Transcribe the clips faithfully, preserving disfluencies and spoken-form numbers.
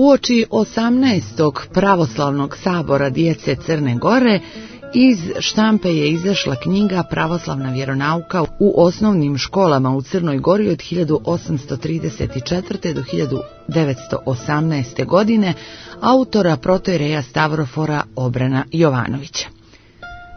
Uoči osamnaestog pravoslavnog sabora djece Crne Gore iz štampe je izašla knjiga Pravoslavna vjeronauka u osnovnim školama u Crnoj Gori od hiljadu osamsto trideset četvrte. do hiljadu devetsto osamnaeste. godine autora protoijereja Stavrofora Obrana Jovanovića.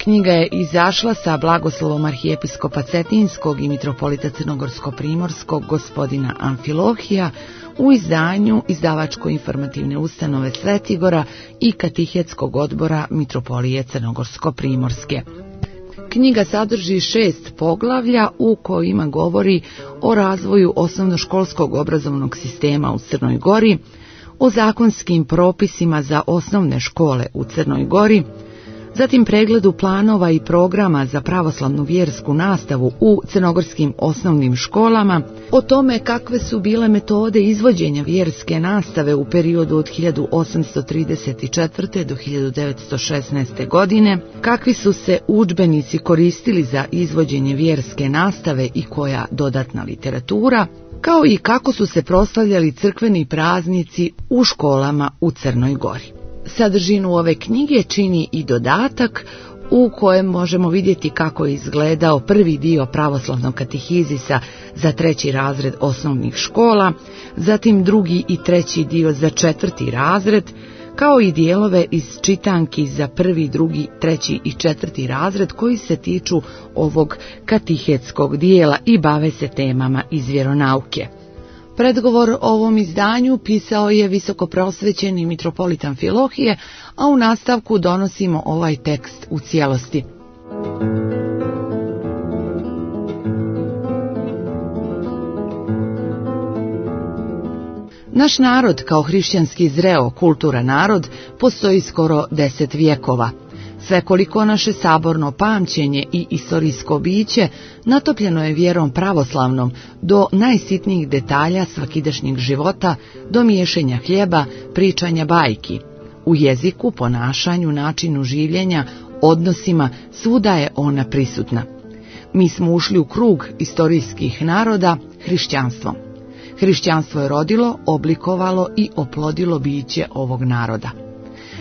Knjiga je izašla sa blagoslovom arhijepiskopa Cetinskog i mitropolita Crnogorsko-primorskog gospodina Amfilohija u izdanju izdavačko-informativne ustanove Svetigora i katehetskog odbora mitropolije Crnogorsko-primorske. Knjiga sadrži šest poglavlja u kojima govori o razvoju osnovnoškolskog obrazovnog sistema u Crnoj Gori, o zakonskim propisima za osnovne škole u Crnoj Gori, zatim pregledu planova i programa za pravoslavnu vjersku nastavu u crnogorskim osnovnim školama, o tome kakve su bile metode izvođenja vjerske nastave u periodu od hiljadu osamsto trideset četvrte. do hiljadu devetsto šesnaeste. godine, kakvi su se udžbenici koristili za izvođenje vjerske nastave i koja dodatna literatura, kao i kako su se proslavljali crkveni praznici u školama u Crnoj Gori. Sadržinu ove knjige čini i dodatak u kojem možemo vidjeti kako je izgledao prvi dio pravoslavnog katehizisa za treći razred osnovnih škola, zatim drugi i treći dio za četvrti razred, kao i dijelove iz čitanki za prvi, drugi, treći i četvrti razred koji se tiču ovog katehetskog dijela i bave se temama iz vjeronauke. Predgovor o ovom izdanju pisao je visokoprosvećeni mitropolit Amfilohije, a u nastavku donosimo ovaj tekst u cijelosti. Naš narod, kao hrišćanski zreo kulturan narod, postoji skoro deset vjekova. Svekoliko naše saborno pamćenje i istorijsko biće natopljeno je vjerom pravoslavnom do najsitnijih detalja svakidašnjeg života, do miješanja hljeba, pričanja bajki. U jeziku, ponašanju, načinu življenja, odnosima, svuda je ona prisutna. Mi smo ušli u krug istorijskih naroda hrišćanstvom. Hrišćanstvo je rodilo, oblikovalo i oplodilo biće ovog naroda.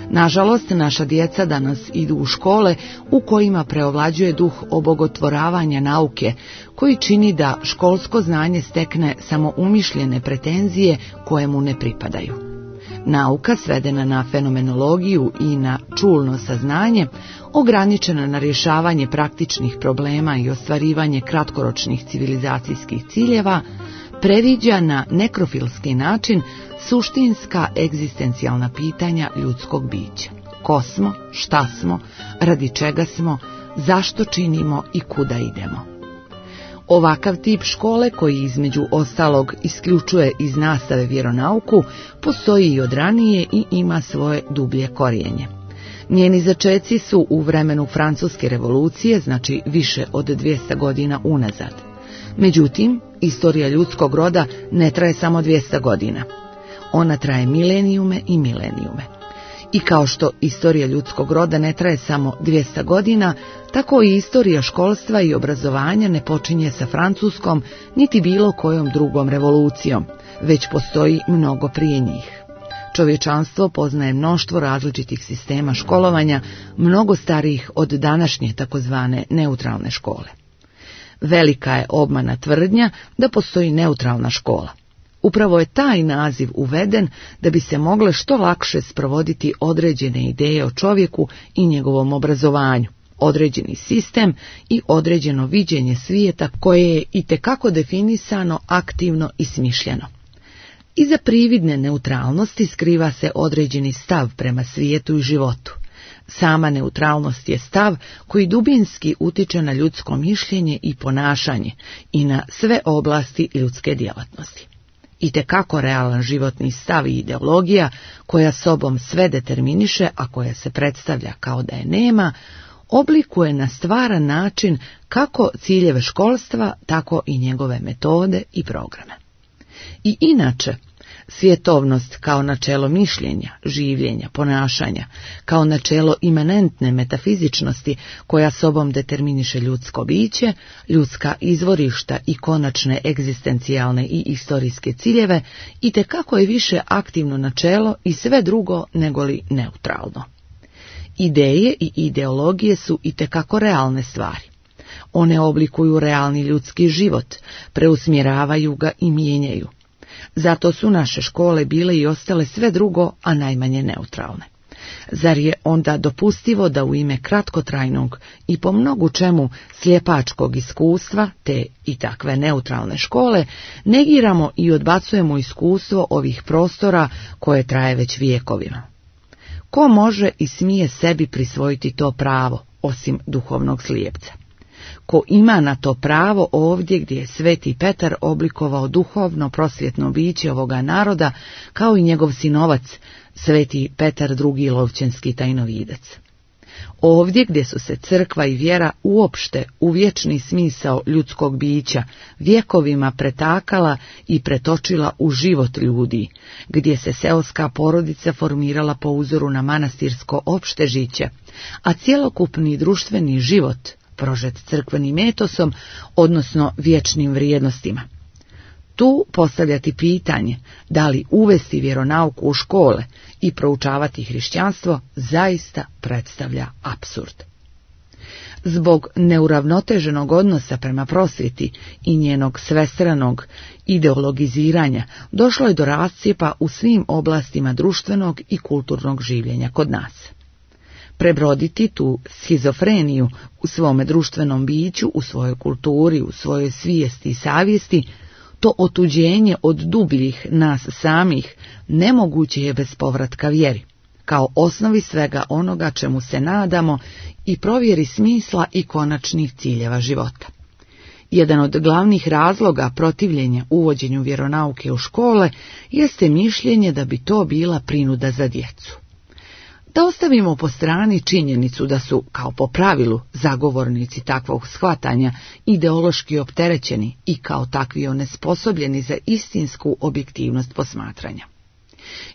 Nažalost, naša djeca danas idu u škole u kojima preovlađuje duh obogotvoravanja nauke, koji čini da školsko znanje stekne samo umišljene pretenzije koje mu ne pripadaju. Nauka, svedena na fenomenologiju i na čulno saznanje, ograničena na rješavanje praktičnih problema i ostvarivanje kratkoročnih civilizacijskih ciljeva, previđa na nekrofilski način suštinska egzistencijalna pitanja ljudskog bića. Ko smo, šta smo, radi čega smo, zašto činimo i kuda idemo. Ovakav tip škole, koji između ostalog isključuje iz nastave vjeronauku, postoji i od ranije i ima svoje dublje korijenje. Njeni začeci su u vremenu Francuske revolucije, znači više od dvjesto godina unazad. Međutim, istorija ljudskog roda ne traje samo dvjesto godina. Ona traje milenijume i milenijume. I kao što istorija ljudskog roda ne traje samo dvjesto godina, tako i istorija školstva i obrazovanja ne počinje sa Francuskom niti bilo kojom drugom revolucijom, već postoji mnogo prije njih. Čovječanstvo poznaje mnoštvo različitih sistema školovanja, mnogo starijih od današnje takozvane neutralne škole. Velika je obmana tvrdnja da postoji neutralna škola. Upravo je taj naziv uveden da bi se mogle što lakše sprovoditi određene ideje o čovjeku i njegovom obrazovanju, određeni sistem i određeno viđenje svijeta koje je itekako definisano, aktivno i smišljeno. Iza prividne neutralnosti skriva se određeni stav prema svijetu i životu. Sama neutralnost je stav koji dubinski utiče na ljudsko mišljenje i ponašanje i na sve oblasti ljudske djelatnosti. Itekako realan životni stav i ideologija koja sobom sve determiniše, a koja se predstavlja kao da je nema, oblikuje na stvaran način kako ciljeve školstva, tako i njegove metode i programe. I inače, Svjetovnost kao načelo mišljenja, življenja, ponašanja, kao načelo imanentne metafizičnosti koja sobom determiniše ljudsko biće, ljudska izvorišta i konačne egzistencijalne i istorijske ciljeve, itekako je više aktivno načelo i sve drugo negoli neutralno. Ideje i ideologije su itekako realne stvari. One oblikuju realni ljudski život, preusmjeravaju ga i mijenjaju. Zato su naše škole bile i ostale sve drugo, a najmanje neutralne. Zar je onda dopustivo da u ime kratkotrajnog i po mnogu čemu slijepačkog iskustva, te i takve neutralne škole, negiramo i odbacujemo iskustvo ovih prostora koje traje već vijekovima? Ko može i smije sebi prisvojiti to pravo, osim duhovnog slijepca? Ko ima na to pravo ovdje gdje je Sveti Petar oblikovao duhovno prosvjetno biće ovoga naroda, kao i njegov sinovac, Sveti Petar drugi Lovćenski tajnovidac? Ovdje gdje su se crkva i vjera uopšte u vječni smisao ljudskog bića vjekovima pretakala i pretočila u život ljudi, gdje se seoska porodica formirala po uzoru na manastirsko opšte žiće, a cjelokupni društveni život prožet crkvenim etosom, odnosno vječnim vrijednostima. Tu postavljati pitanje da li uvesti vjeronauku u škole i proučavati hrišćanstvo zaista predstavlja apsurd. Zbog neuravnoteženog odnosa prema prosvjeti i njenog svestranog ideologiziranja došlo je do rascijepa u svim oblastima društvenog i kulturnog življenja kod nas. Prebroditi tu schizofreniju u svome društvenom biću, u svojoj kulturi, u svojoj svijesti i savjesti, to otuđenje od dubljih nas samih nemoguće je bez povratka vjeri, kao osnovi svega onoga čemu se nadamo i provjeri smisla i konačnih ciljeva života. Jedan od glavnih razloga protivljenja uvođenju vjeronauke u škole jeste mišljenje da bi to bila prinuda za djecu. Da ostavimo po strani činjenicu da su, kao po pravilu, zagovornici takvog shvatanja ideološki opterećeni i kao takvi onesposobljeni za istinsku objektivnost posmatranja.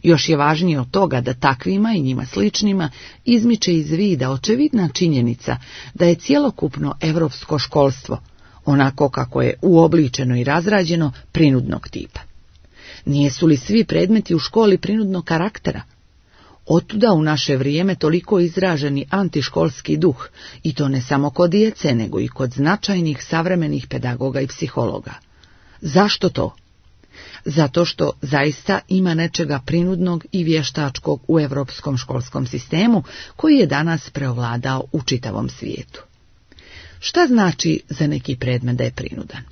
Još je važnije od toga da takvima i njima sličnima izmiče iz vida očevidna činjenica da je cjelokupno europsko školstvo, onako kako je uobličeno i razrađeno, prinudnog tipa. Nijesu li svi predmeti u školi prinudnog karaktera? Otuda u naše vrijeme toliko izraženi antiškolski duh, i to ne samo kod djece, nego i kod značajnih savremenih pedagoga i psihologa. Zašto to? Zato što zaista ima nečega prinudnog i vještačkog u europskom školskom sistemu, koji je danas preovladao u čitavom svijetu. Šta znači za neki predmet da je prinudan?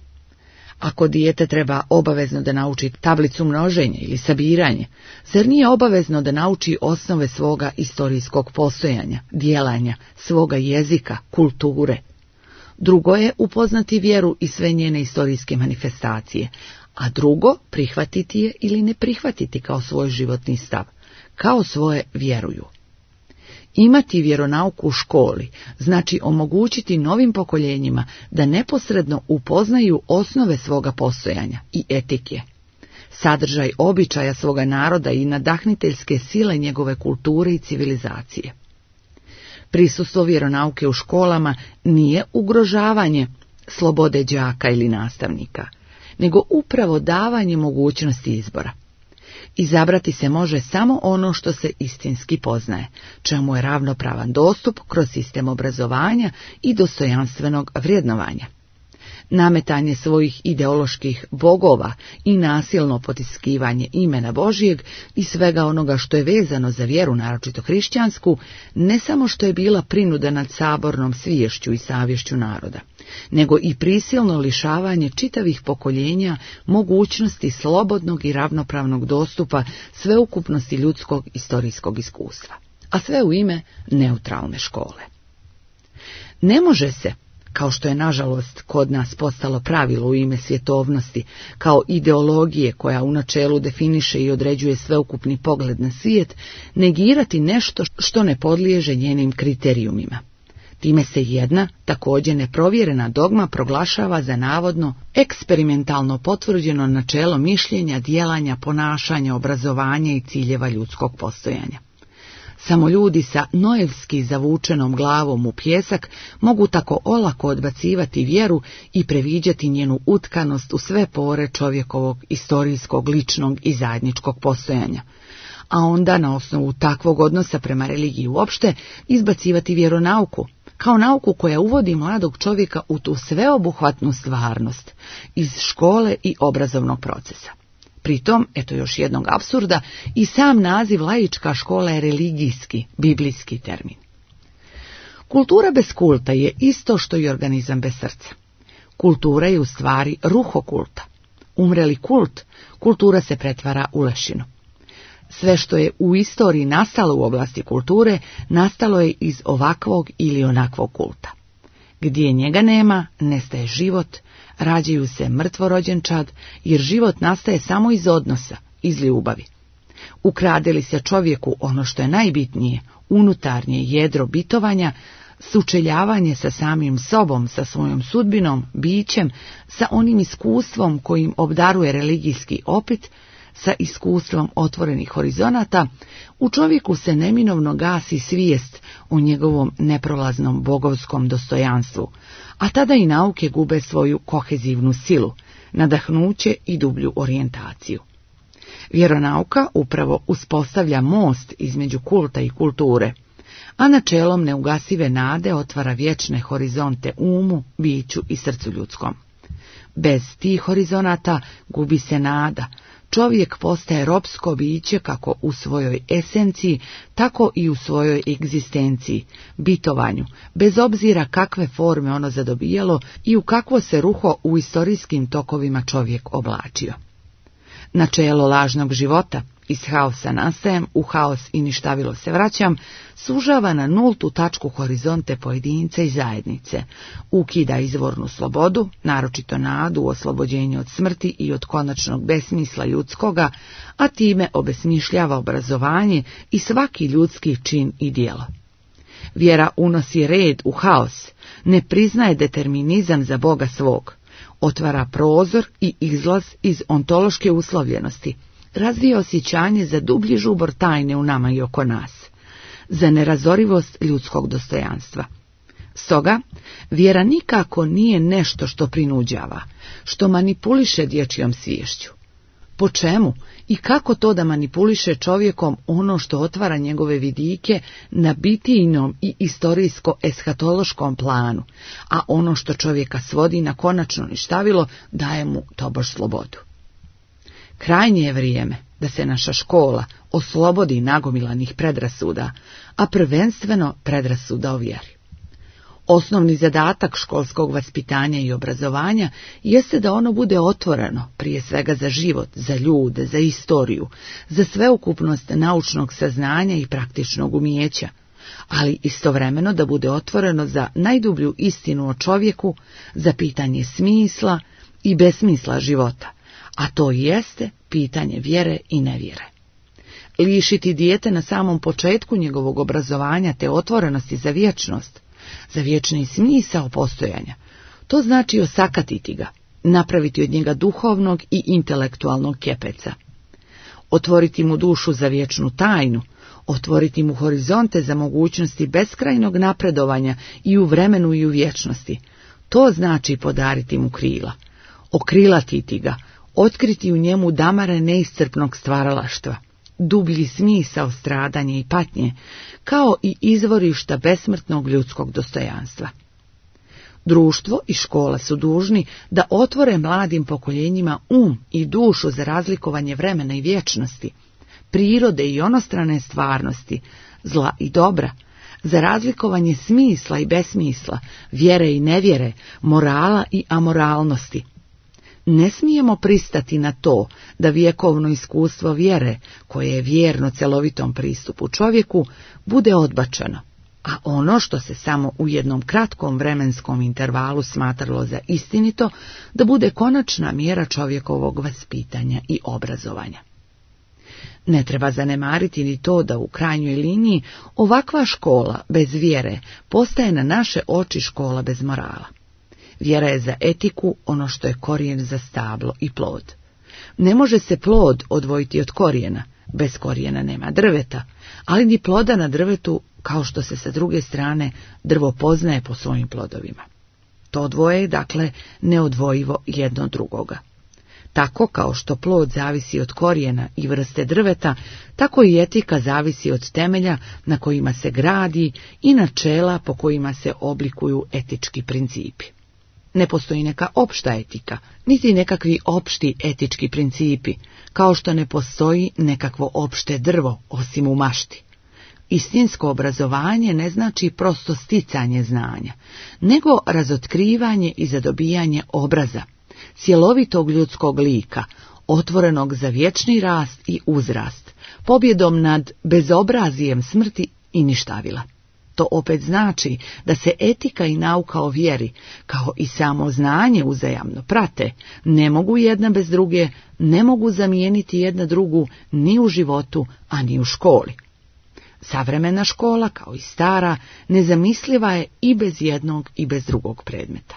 Ako dijete treba obavezno da nauči tablicu množenja ili sabiranje, zar nije obavezno da nauči osnove svoga istorijskog postojanja, djelanja, svoga jezika, kulture? Drugo je upoznati vjeru i sve njene istorijske manifestacije, a drugo prihvatiti je ili ne prihvatiti kao svoj životni stav, kao svoje vjeruju. Imati vjeronauku u školi znači omogućiti novim pokoljenjima da neposredno upoznaju osnove svoga postojanja i etike, sadržaj običaja svoga naroda i nadahniteljske sile njegove kulture i civilizacije. Prisustvo vjeronauke u školama nije ugrožavanje slobode đaka ili nastavnika, nego upravo davanje mogućnosti izbora. Izabrati se može samo ono što se istinski poznaje, čemu je ravnopravan dostup kroz sistem obrazovanja i dostojanstvenog vrjednovanja. Nametanje svojih ideoloških bogova i nasilno potiskivanje imena Božijeg i svega onoga što je vezano za vjeru, naročito hrišćansku, ne samo što je bila prinuda nad sabornom sviješću i savješću naroda, nego i prisilno lišavanje čitavih pokoljenja mogućnosti slobodnog i ravnopravnog dostupa sveukupnosti ljudskog istorijskog iskustva, a sve u ime neutralne škole. Ne može se, kao što je nažalost kod nas postalo pravilo u ime svjetovnosti, kao ideologije koja u načelu definiše i određuje sveukupni pogled na svijet, negirati nešto što ne podliježe njenim kriterijumima. Time se jedna, također neprovjerena dogma proglašava za navodno eksperimentalno potvrđeno načelo mišljenja, djelanja, ponašanja, obrazovanja i ciljeva ljudskog postojanja. Samo ljudi sa noevski zavučenom glavom u pijesak mogu tako olako odbacivati vjeru i previđati njenu utkanost u sve pore čovjekovog istorijskog, ličnog i zajedničkog postojanja, a onda na osnovu takvog odnosa prema religiji uopšte izbacivati vjeronauku, kao nauku koja uvodi mladog čovjeka u tu sveobuhvatnu stvarnost iz škole i obrazovnog procesa. Pritom, eto još jednog apsurda, i sam naziv laička škola je religijski, biblijski termin. Kultura bez kulta je isto što i organizam bez srca. Kultura je u stvari ruho kulta. Umreli kult, kultura se pretvara u lešinu. Sve što je u istoriji nastalo u oblasti kulture, nastalo je iz ovakvog ili onakvog kulta. Gdje njega nema, nestaje život, rađaju se mrtvorođenčad, jer život nastaje samo iz odnosa, iz ljubavi. Ukrade li se čovjeku ono što je najbitnije, unutarnje jedro bitovanja, sučeljavanje sa samim sobom, sa svojom sudbinom, bićem, sa onim iskustvom kojim obdaruje religijski opit, sa iskustvom otvorenih horizonata, u čovjeku se neminovno gasi svijest o njegovom neprolaznom bogovskom dostojanstvu, a tada i nauke gube svoju kohezivnu silu, nadahnuće i dublju orijentaciju. Vjeronauka upravo uspostavlja most između kulta i kulture, a načelom neugasive nade otvara vječne horizonte umu, biću i srcu ljudskom. Bez tih horizonata gubi se nada, čovjek postaje ropsko biće kako u svojoj esenciji, tako i u svojoj egzistenciji, bitovanju, bez obzira kakve forme ono zadobijalo i u kakvo se ruho u istorijskim tokovima čovjek oblačio. Načelo lažnog života, iz haosa nastajem, u haos i ništavilo se vraćam, sužava na nultu tačku horizonte pojedince i zajednice, ukida izvornu slobodu, naročito nadu u oslobođenju od smrti i od konačnog besmisla ljudskoga, a time obesmišljava obrazovanje i svaki ljudski čin i djelo. Vjera unosi red u haos, ne priznaje determinizam za Boga svog, otvara prozor i izlaz iz ontološke uslovljenosti, razvija osjećanje za dublji žubor tajne u nama i oko nas, za nerazorivost ljudskog dostojanstva. Stoga, vjera nikako nije nešto što prinuđava, što manipuliše dječjom sviješću. Po čemu i kako to da manipuliše čovjekom ono što otvara njegove vidike na bitijnom i istorijsko-eshatološkom planu, a ono što čovjeka svodi na konačno ništavilo daje mu tobož slobodu. Krajnje je vrijeme da se naša škola oslobodi nagomilanih predrasuda, a prvenstveno predrasuda o vjeri. Osnovni zadatak školskog vaspitanja i obrazovanja jeste da ono bude otvoreno, prije svega za život, za ljude, za istoriju, za sveukupnost naučnog saznanja i praktičnog umijeća, ali istovremeno da bude otvoreno za najdublju istinu o čovjeku, za pitanje smisla i besmisla života, a to jeste pitanje vjere i nevjere. Lišiti dijete na samom početku njegovog obrazovanja te otvorenosti za vječnost, za vječni smisao postojanja, to znači osakatiti ga, napraviti od njega duhovnog i intelektualnog kepeca. Otvoriti mu dušu za vječnu tajnu, otvoriti mu horizonte za mogućnosti beskrajnog napredovanja i u vremenu i u vječnosti, to znači podariti mu krila, okrilatiti ga, otkriti u njemu damare neiscrpnog stvaralaštva, dublji smisao stradanja i patnje, kao i izvorišta besmrtnog ljudskog dostojanstva. Društvo i škola su dužni da otvore mladim pokoljenjima um i dušu za razlikovanje vremena i vječnosti, prirode i onostrane stvarnosti, zla i dobra, za razlikovanje smisla i besmisla, vjere i nevjere, morala i amoralnosti. Ne smijemo pristati na to da vjekovno iskustvo vjere, koje je vjerno celovitom pristupu čovjeku, bude odbačeno, a ono što se samo u jednom kratkom vremenskom intervalu smatralo za istinito, da bude konačna mjera čovjekovog vaspitanja i obrazovanja. Ne treba zanemariti ni to da u krajnjoj liniji ovakva škola bez vjere postaje na naše oči škola bez morala. Vjera je za etiku ono što je korijen za stablo i plod. Ne može se plod odvojiti od korijena, bez korijena nema drveta, ali ni ploda na drvetu, kao što se sa druge strane drvo poznaje po svojim plodovima. To dvoje je, dakle, neodvojivo jedno od drugoga. Tako kao što plod zavisi od korijena i vrste drveta, tako i etika zavisi od temelja na kojima se gradi i načela po kojima se oblikuju etički principi. Ne postoji neka opšta etika, niti nekakvi opšti etički principi, kao što ne postoji nekakvo opšte drvo, osim u mašti. Istinsko obrazovanje ne znači prosto sticanje znanja, nego razotkrivanje i zadobijanje obraza, cjelovitog ljudskog lika, otvorenog za vječni rast i uzrast, pobjedom nad bezobrazijem smrti i ništavila. To opet znači da se etika i nauka o vjeri, kao i samo znanje uzajamno prate, ne mogu jedna bez druge, ne mogu zamijeniti jedna drugu ni u životu, a ni u školi. Savremena škola, kao i stara, nezamisliva je i bez jednog i bez drugog predmeta.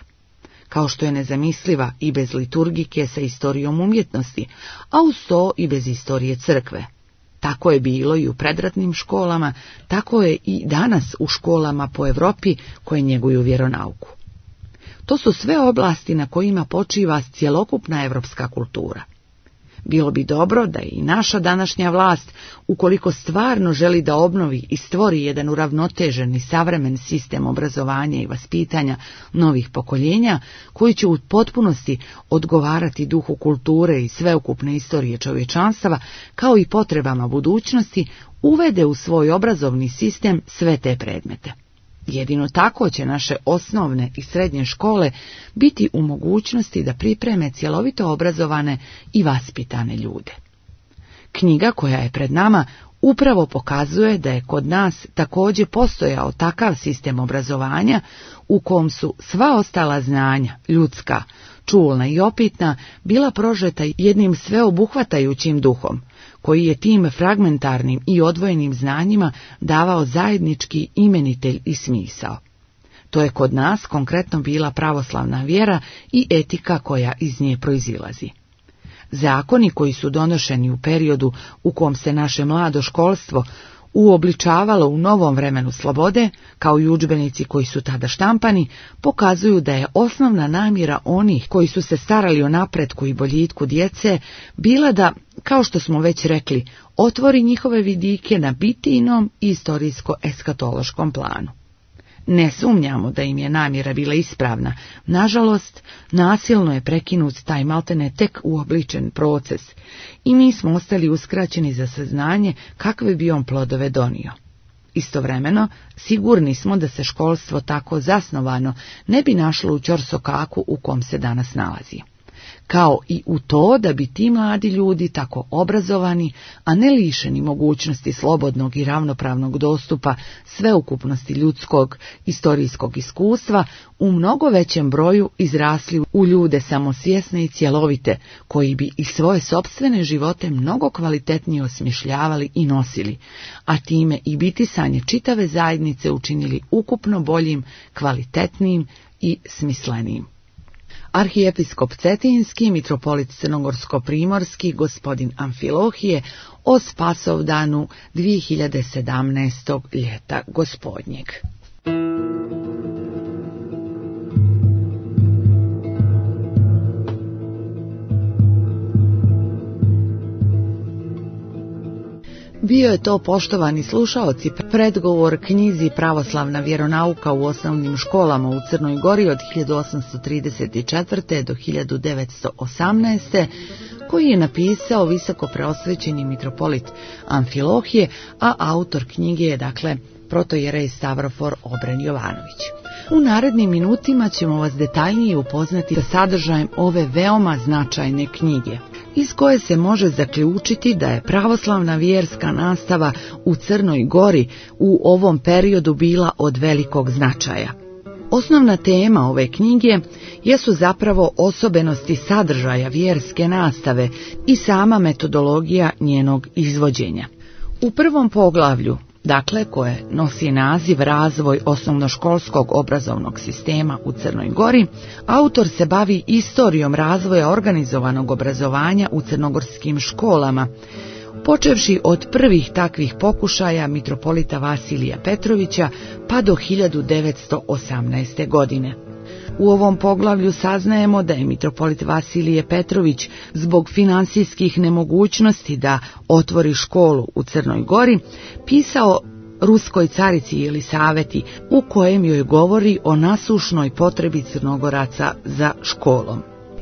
Kao što je nezamisliva i bez liturgike sa istorijom umjetnosti, a uz to i bez istorije crkve. Tako je bilo i u predratnim školama, tako je i danas u školama po Europi koje njeguju vjeronauku. To su sve oblasti na kojima počiva cjelokupna evropska kultura. Bilo bi dobro da i naša današnja vlast, ukoliko stvarno želi da obnovi i stvori jedan uravnotežen i savremen sistem obrazovanja i vaspitanja novih pokoljenja, koji će u potpunosti odgovarati duhu kulture i sveukupne istorije čovječanstva, kao i potrebama budućnosti, uvede u svoj obrazovni sistem sve te predmete. Jedino tako će naše osnovne i srednje škole biti u mogućnosti da pripreme cjelovito obrazovane i vaspitane ljude. Knjiga koja je pred nama upravo pokazuje da je kod nas također postojao takav sistem obrazovanja u kom su sva ostala znanja, ljudska, čulna i opitna, bila prožeta jednim sveobuhvatajućim duhom, koji je tim fragmentarnim i odvojenim znanjima davao zajednički imenitelj i smisao. To je kod nas konkretno bila pravoslavna vjera i etika koja iz nje proizilazi. Zakoni koji su donošeni u periodu u kom se naše mlado školstvo uobličavalo u novom vremenu slobode, kao i udžbenici koji su tada štampani, pokazuju da je osnovna namjera onih koji su se starali o napretku i boljitku djece bila da, kao što smo već rekli, otvori njihove vidike na bitijnom i istorijsko-eskatološkom planu. Ne sumnjamo da im je namjera bila ispravna, nažalost, nasilno je prekinut taj maltene tek uobličen proces i mi smo ostali uskraćeni za saznanje kakve bi on plodove donio. Istovremeno, sigurni smo da se školstvo tako zasnovano ne bi našlo u ćorsokaku u kom se danas nalazi. Kao i u to da bi ti mladi ljudi tako obrazovani, a ne lišeni mogućnosti slobodnog i ravnopravnog dostupa sveukupnosti ljudskog istorijskog iskustva, u mnogo većem broju izrasli u ljude samosvjesne i cjelovite, koji bi i svoje sopstvene živote mnogo kvalitetnije osmišljavali i nosili, a time i bitisanje čitave zajednice učinili ukupno boljim, kvalitetnijim i smislenijim. Arhijepiskop Cetinski, mitropolit Crnogorsko-primorski, gospodin Amfilohije, o Spasovdanu dvije hiljade sedamnaestog ljeta gospodnjeg. Bio je to, poštovani slušaoci, predgovor knjizi Pravoslavna vjeronauka u osnovnim školama u Crnoj Gori od hiljadu osamsto trideset četvrte. do hiljadu devetsto osamnaeste. koji je napisao visoko preosvećeni mitropolit Amfilohije, a autor knjige je, dakle, protojerej Stavrofor Obren Jovanović. U narednim minutima ćemo vas detaljnije upoznati sa sadržajem ove veoma značajne knjige, iz koje se može zaključiti da je pravoslavna vjerska nastava u Crnoj Gori u ovom periodu bila od velikog značaja. Osnovna tema ove knjige jesu zapravo osobenosti sadržaja vjerske nastave i sama metodologija njenog izvođenja. U prvom poglavlju, dakle koje nosi naziv Razvoj osnovnoškolskog obrazovnog sistema u Crnoj Gori, autor se bavi istorijom razvoja organizovanog obrazovanja u crnogorskim školama, počevši od prvih takvih pokušaja mitropolita Vasilija Petrovića pa do hiljadu devetsto osamnaeste. godine. U ovom poglavlju saznajemo da je mitropolit Vasilije Petrović zbog finansijskih nemogućnosti da otvori školu u Crnoj Gori pisao ruskoj carici Jelisaveti, u kojem joj govori o nasušnoj potrebi Crnogoraca za školom.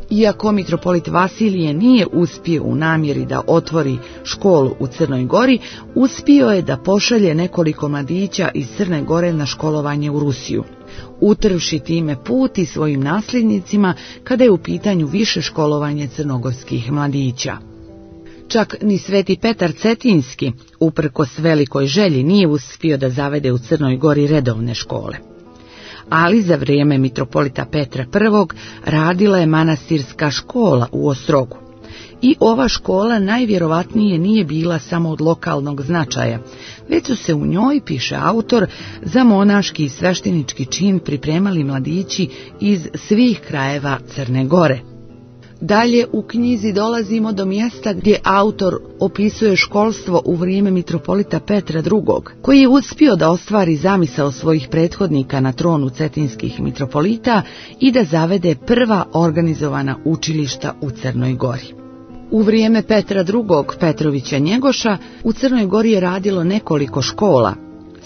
Iako mitropolit Vasilije nije uspio u namjeri da otvori školu u Crnoj Gori, uspio je da pošalje nekoliko mladića iz Crne Gore na školovanje u Rusiju, utrvši time put i svojim nasljednicima kada je u pitanju više školovanje crnogorskih mladića. Čak ni Sveti Petar Cetinski, uprkos velikoj želji, nije uspio da zavede u Crnoj Gori redovne škole. Ali za vrijeme mitropolita Petra Prvog radila je manastirska škola u Ostrogu. I ova škola najvjerovatnije nije bila samo od lokalnog značaja, već su se u njoj, piše autor, za monaški i sveštenički čin pripremali mladići iz svih krajeva Crne Gore. Dalje u knjizi dolazimo do mjesta gdje autor opisuje školstvo u vrijeme mitropolita Petra Drugog, koji je uspio da ostvari zamisao svojih prethodnika na tronu cetinskih mitropolita i da zavede prva organizovana učilišta u Crnoj Gori. U vrijeme Petra Drugog Petrovića Njegoša u Crnoj Gori je radilo nekoliko škola: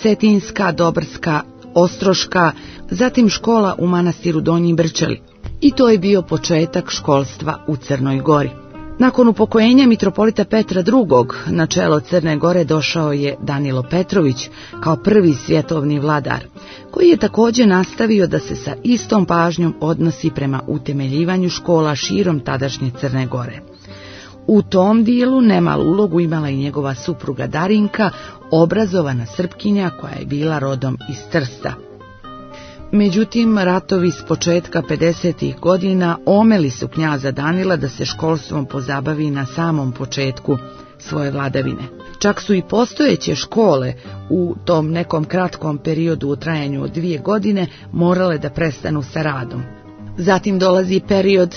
Cetinska, Dobrska, Ostroška, zatim škola u manastiru Donji Brčeli. I to je bio početak školstva u Crnoj Gori. Nakon upokojenja mitropolita Petra Drugog na čelo Crne Gore došao je Danilo Petrović kao prvi svjetovni vladar, koji je također nastavio da se sa istom pažnjom odnosi prema utemeljivanju škola širom tadašnje Crne Gore. U tom dijelu nemalu ulogu imala i njegova supruga Darinka, obrazovana Srpkinja koja je bila rodom iz Trsta. Međutim, ratovi s početka pedesetih godina omeli su knjaza Danila da se školstvom pozabavi na samom početku svoje vladavine. Čak su i postojeće škole u tom nekom kratkom periodu u trajanju od dvije godine morale da prestanu sa radom. Zatim dolazi period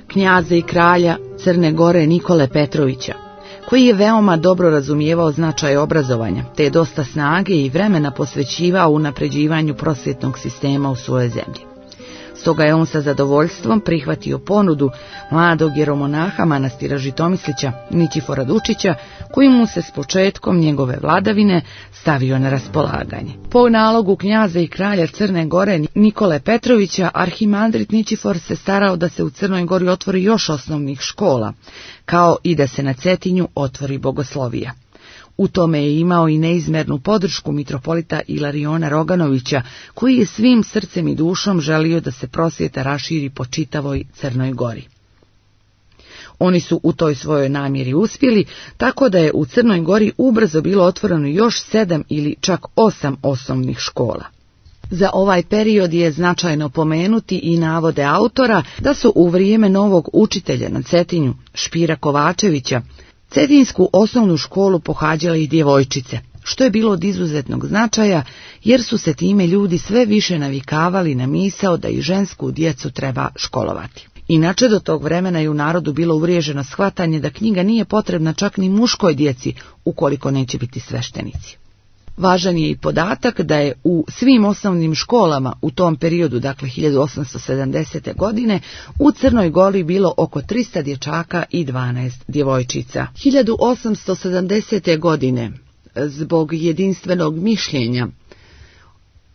knjaza i kralja Crne Gore Nikole Petrovića, koji je veoma dobro razumijevao značaj obrazovanja, te je dosta snage i vremena posvećivao unapređivanju prosvjetnog sistema u svojoj zemlji. Stoga je on sa zadovoljstvom prihvatio ponudu mladog jeromonaha manastira Žitomislića, Ničifora Dučića, koji mu se s početkom njegove vladavine stavio na raspolaganje. Po nalogu knjaza i kralja Crne Gore Nikole Petrovića, arhimandrit Ničifor se starao da se u Crnoj Gori otvori još osnovnih škola, kao i da se na Cetinju otvori bogoslovija. U tome je imao i neizmernu podršku mitropolita Ilariona Roganovića, koji je svim srcem i dušom želio da se prosvjeta raširi po čitavoj Crnoj Gori. Oni su u toj svojoj namjeri uspjeli, tako da je u Crnoj Gori ubrzo bilo otvoreno još sedam ili čak osam osnovnih škola. Za ovaj period je značajno pomenuti i navode autora da su u vrijeme novog učitelja na Cetinju, Špira Kovačevića, Cetinsku osnovnu školu pohađale i djevojčice, što je bilo od izuzetnog značaja, jer su se time ljudi sve više navikavali na misao da i žensku djecu treba školovati. Inače, do tog vremena je u narodu bilo uvriježeno shvatanje da knjiga nije potrebna čak ni muškoj djeci, ukoliko neće biti sveštenici. Važan je i podatak da je u svim osnovnim školama u tom periodu, dakle hiljadu osamsto sedamdesete. godine, u Crnoj Gori bilo oko trista dječaka i dvanaest djevojčica. hiljadu osamsto sedamdesete. godine, zbog jedinstvenog mišljenja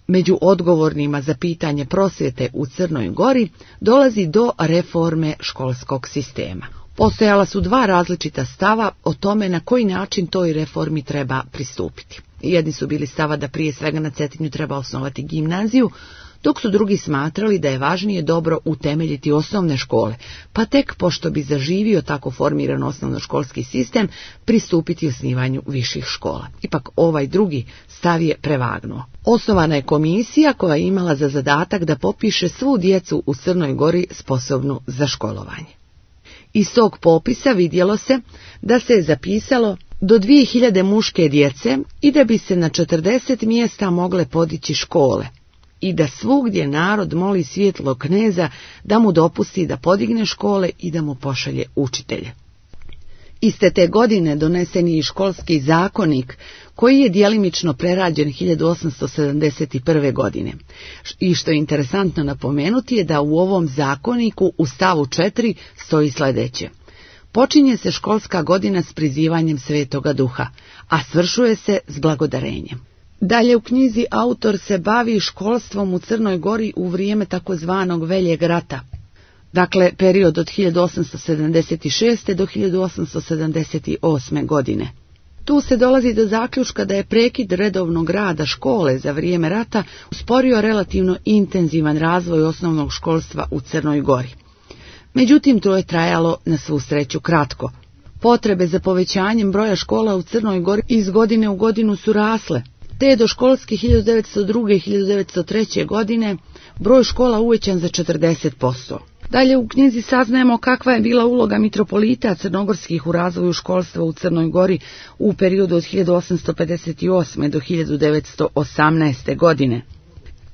među odgovornima za pitanje prosvjete u Crnoj Gori, dolazi do reforme školskog sistema. Postojala su dva različita stava o tome na koji način toj reformi treba pristupiti. Jedni su bili stava da prije svega na Cetinju treba osnovati gimnaziju, dok su drugi smatrali da je važnije dobro utemeljiti osnovne škole, pa tek pošto bi zaživio tako formiran osnovnoškolski sistem, pristupiti osnivanju viših škola. Ipak ovaj drugi stav je prevagnuo. Osnovana je komisija koja je imala za zadatak da popiše svu djecu u Crnoj Gori sposobnu za školovanje. Iz tog popisa vidjelo se da se je zapisalo do dvije hiljade muške djece i da bi se na četrdeset mjesta mogle podići škole i da svugdje narod moli svjetlog kneza da mu dopusti da podigne škole i da mu pošalje učitelje. Iste te godine donesen je i školski zakonik koji je djelimično prerađen hiljadu osamsto sedamdeset prve. godine. I što je interesantno napomenuti je da u ovom zakoniku u stavu četiri stoji sljedeće. Počinje se školska godina s prizivanjem Svetoga Duha, a svršuje se s blagodarenjem. Dalje u knjizi autor se bavi školstvom u Crnoj Gori u vrijeme takozvanog Veljeg rata, dakle period od hiljadu osamsto sedamdeset šeste. do hiljadu osamsto sedamdeset osme. godine. Tu se dolazi do zaključka da je prekid redovnog rada škole za vrijeme rata usporio relativno intenzivan razvoj osnovnog školstva u Crnoj Gori. Međutim, to je trajalo na svu sreću kratko. Potrebe za povećanjem broja škola u Crnoj Gori iz godine u godinu su rasle, te je do školske hiljadu devetsto druge. i hiljadu devetsto treće. godine broj škola uvećan za četrdeset posto. Dalje u knjizi saznajemo kakva je bila uloga mitropolita crnogorskih u razvoju školstva u Crnoj Gori u periodu od hiljadu osamsto pedeset osme. do hiljadu devetsto osamnaeste. godine.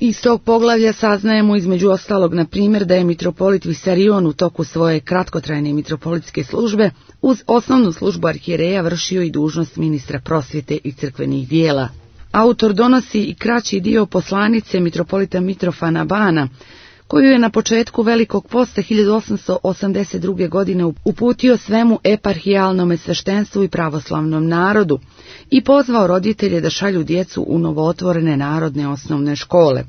Iz tog poglavlja saznajemo između ostalog na primjer da je mitropolit Visarion u toku svoje kratkotrajne mitropolitske službe uz osnovnu službu arhijereja vršio i dužnost ministra prosvjete i crkvenih dijela. Autor donosi i kraći dio poslanice mitropolita Mitrofana Bana, koju je na početku Velikog posta hiljadu osamsto osamdeset druge. godine uputio svemu eparhijalnom sveštenstvu i pravoslavnom narodu i pozvao roditelje da šalju djecu u novootvorene narodne osnovne škole,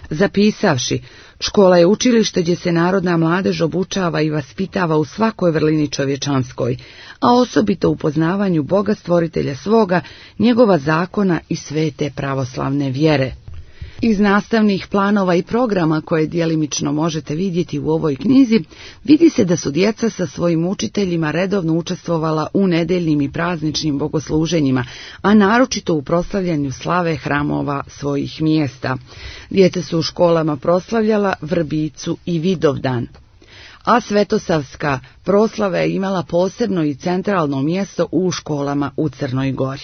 zapisavši: škola je učilište gdje se narodna mladež obučava i vaspitava u svakoj vrlini čovječanskoj, a osobito u poznavanju Boga stvoritelja svoga, njegova zakona i svete pravoslavne vjere. Iz nastavnih planova i programa koje djelimično možete vidjeti u ovoj knjizi, vidi se da su djeca sa svojim učiteljima redovno učestvovala u nedeljnim i prazničnim bogosluženjima, a naročito u proslavljanju slave hramova svojih mjesta. Djeca su u školama proslavljala Vrbicu i Vidovdan, a svetosavska proslava je imala posebno i centralno mjesto u školama u Crnoj Gori.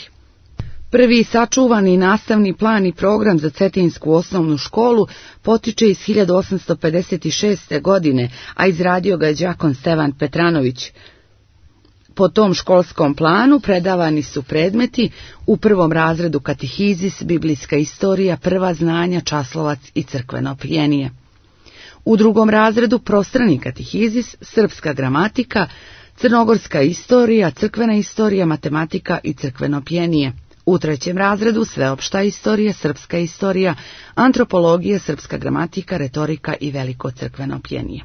Prvi sačuvani nastavni plan i program za Cetinsku osnovnu školu potiče iz hiljadu osamsto pedeset šeste. godine, a izradio ga je đakon Stevan Petranović. Po tom školskom planu predavani su predmeti u prvom razredu katehizis, biblijska istorija, prva znanja, časlovac i crkveno pjenije. U drugom razredu prostrani katehizis, srpska gramatika, crnogorska istorija, crkvena istorija, matematika i crkveno pjenije. U trećem razredu sveopšta istorija, srpska istorija, antropologija, srpska gramatika, retorika i veliko crkveno pjenije.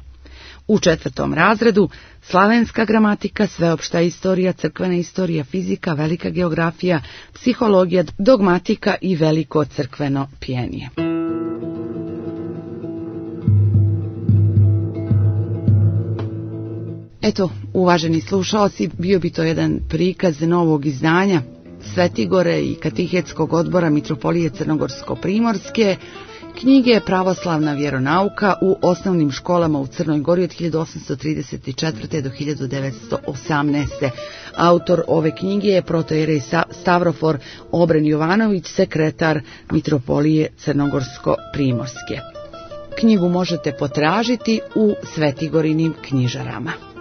U četvrtom razredu slavenska gramatika, sveopšta istorija, crkvena istorija, fizika, velika geografija, psihologija, dogmatika i veliko crkveno pjenije. Eto, uvaženi slušalci, bio bi to jedan prikaz novog izdanja Svetigore i katehetskog odbora Mitropolije Crnogorsko-Primorske, knjige Pravoslavna vjeronauka u osnovnim školama u Crnoj Gori od hiljadu osamsto trideset četvrte. do hiljadu devetsto osamnaeste. Autor ove knjige je protojerej Stavrofor Obren Jovanović, sekretar Mitropolije Crnogorsko-Primorske. Knjigu možete potražiti u Svetigorinim knjižarama.